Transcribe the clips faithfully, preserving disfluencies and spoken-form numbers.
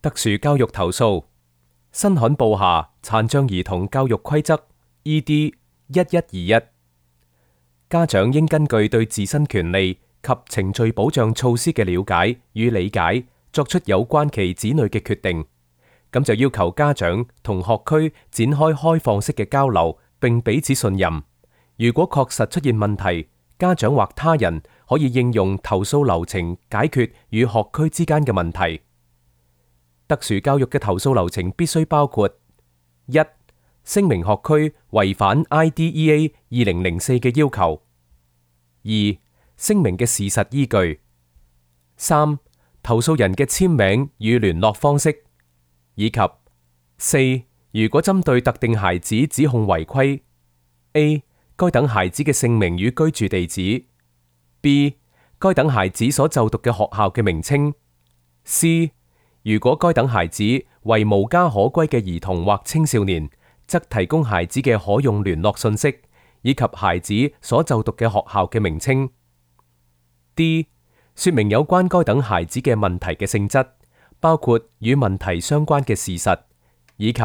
特殊教育投訴新罕布夏殘障兒童教育規則 E D 一一二一，家長應根據對自身權利及程序保障措施嘅了解與理解，作出有關其子女嘅決定。咁就要求家長同學區展開開放式嘅交流，並彼此信任。如果確實出現問題，家長或他人可以應用投訴流程解決與學區之間嘅問題。特殊教育嘅投訴流程必須包括：一、聲明學區違反 I D E A 二零零四嘅要求；二、聲明嘅事實依據；三、投訴人嘅簽名與聯絡方式；以及四、如果針對特定孩子指控違規 ：A. 該等孩子嘅姓名與居住地址 ；B. 該等孩子所就讀嘅學校嘅名稱 ；C. 如果該等孩子為無家可歸嘅兒童或青少年，則提供孩子嘅可用聯絡信息，以及孩子所就讀嘅學校嘅名稱。D. 說明有關該等孩子嘅問題嘅性質，包括與問題相關嘅事實，以及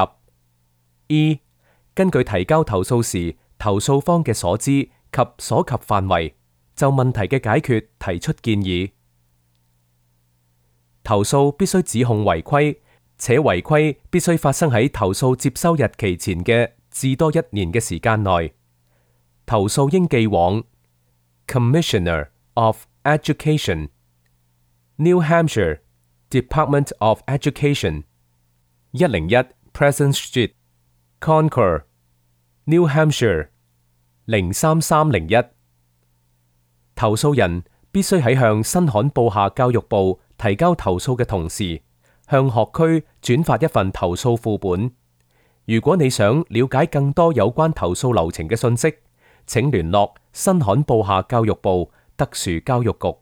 E. 根據提交投訴時投訴方嘅所知及所及範圍，就問題嘅解決提出建議。投訴必須指控違規，且違規必須發生喺投訴接收日期前嘅至多一年嘅時間內。投訴應寄往 Commissioner of Education, New Hampshire Department of Education, 一零一 Pleasant Street, Concord, New Hampshire 零三三零一。投訴人必須喺向新罕布夏教育部提交投訴嘅同時，向學區轉發一份投訴副本。如果你想了解更多有關投訴流程嘅信息，請聯絡新罕布夏教育部特殊教育局。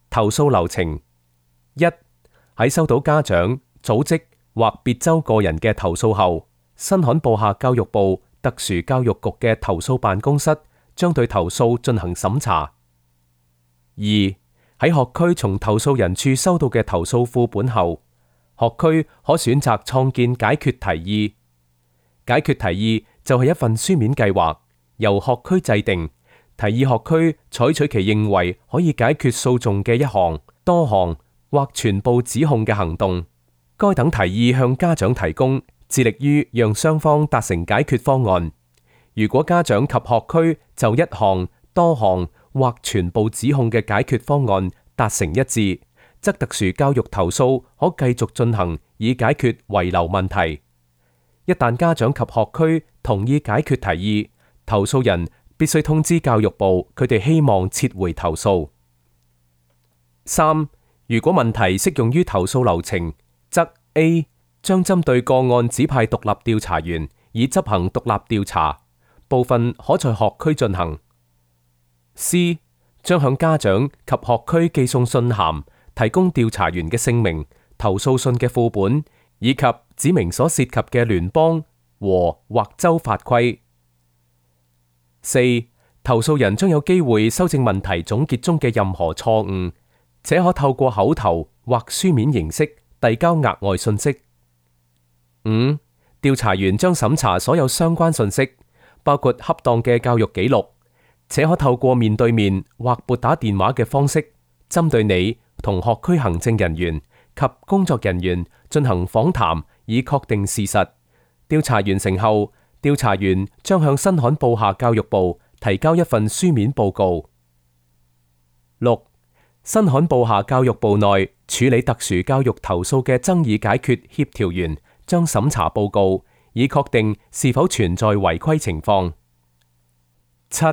投訴流程：一、喺收到家長、組織或別州個人嘅投訴後，新罕布夏教育部特殊教育局嘅投訴辦公室將對投訴進行審查。二、喺學區從投訴人處收到嘅投訴副本後，學區可選擇創建解決提議。解決提議就係一份書面計劃，由學區制定，提議學區採取其認為可以解決訴訟嘅一項、多項或全部指控嘅行動。該等提議向家長提供，致力於讓雙方達成解決方案。如果家長及學區就一項、多項或全部指控嘅解決方案達成一致，則特殊教育投訴可繼續進行，以解決遺留問題。一旦家長及學區同意解決提議，投訴人必須通知教育部佢哋希望撤回投訴。三、如果問題適用於投訴流程，則 A 將針對個案指派獨立調查員，以執行獨立調查，部分可在學區進行。C 將向家長及學區寄送信函，提供調查員嘅姓名、投訴信嘅副本，以及指明所涉及嘅聯邦和或州法規。四、投訴人將有機會修正問題總結中嘅任何錯誤，且可透過口頭或書面形式遞交額外信息。五、調查員將審查所有相關信息，包括恰當嘅教育記錄，且可透過面對面或撥打電話嘅方式，針對你同學區行政人員及工作人員進行訪談，以確定事實。調查完成後，調查員將向新罕布夏教育部提交一份書面報告。六、新罕布夏教育部內處理特殊教育投訴嘅爭議解決協調員將審查報告，以確定是否存在違規情況。七、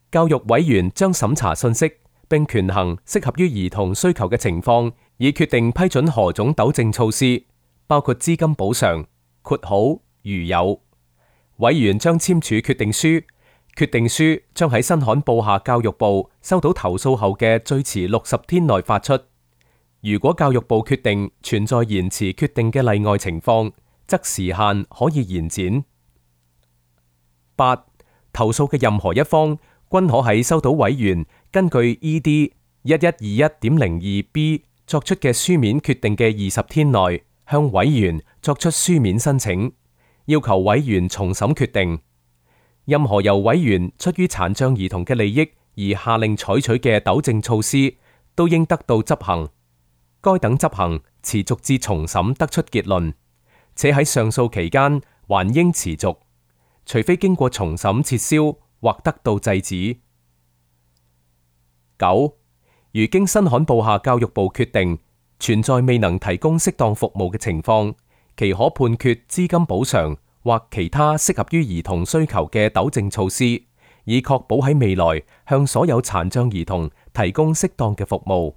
教育委員將審查信息，並權衡適合於兒童需求嘅情況，以決定批准何種糾正措施，包括資金補償、括號如有。委員將簽署決定書，決定書將喺新罕布夏教育部收到投訴後嘅最遲六十天內發出。如果教育部決定存在延遲決定嘅例外情況，則時限可以延展。八、投訴嘅任何一方均可喺收到委員根據 E D 一一二一點零二 B 作出嘅書面決定嘅二十天內，向委員作出書面申請，要求委員重審決定。任何由委員出於殘障兒童嘅利益而下令採取嘅糾正措施，都應得到執行。該等執行持續至重審得出結論，且喺上訴期間還應持續，除非經過重審撤銷或得到制止。九，如經新罕布夏教育部決定存在未能提供適當服務嘅情況，其可判決資金補償或其他適合於兒童需求嘅糾正措施，以確保喺未來向所有殘障兒童提供適當嘅服務。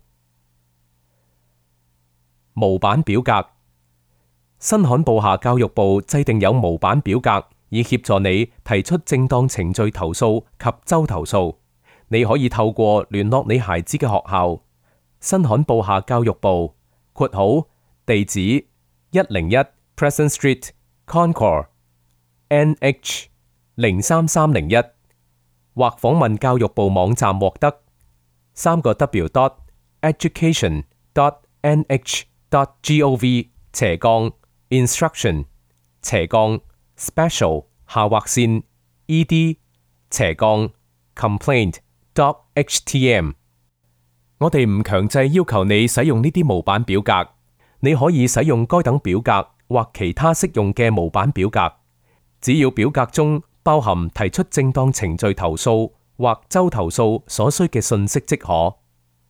模板表格。新罕布夏教育部制定有模板表格，以協助你提出正當程序投訴及州投訴。你可以透過聯絡你孩子嘅學校。新罕布夏教育部（括號地址一零一 Preston Street Concord N H 零三三零一）或訪問教育部網站獲得。三個 W dot education dot N H dot gov 斜槓 instruction 斜槓 special 下劃線 ed 斜槓 complaint dot htm。我哋唔強制要求你使用呢啲模板表格，你可以使用該等表格或其他適用嘅模板表格，只要表格中包含提出正當程序投訴或州投訴所需嘅信息即可。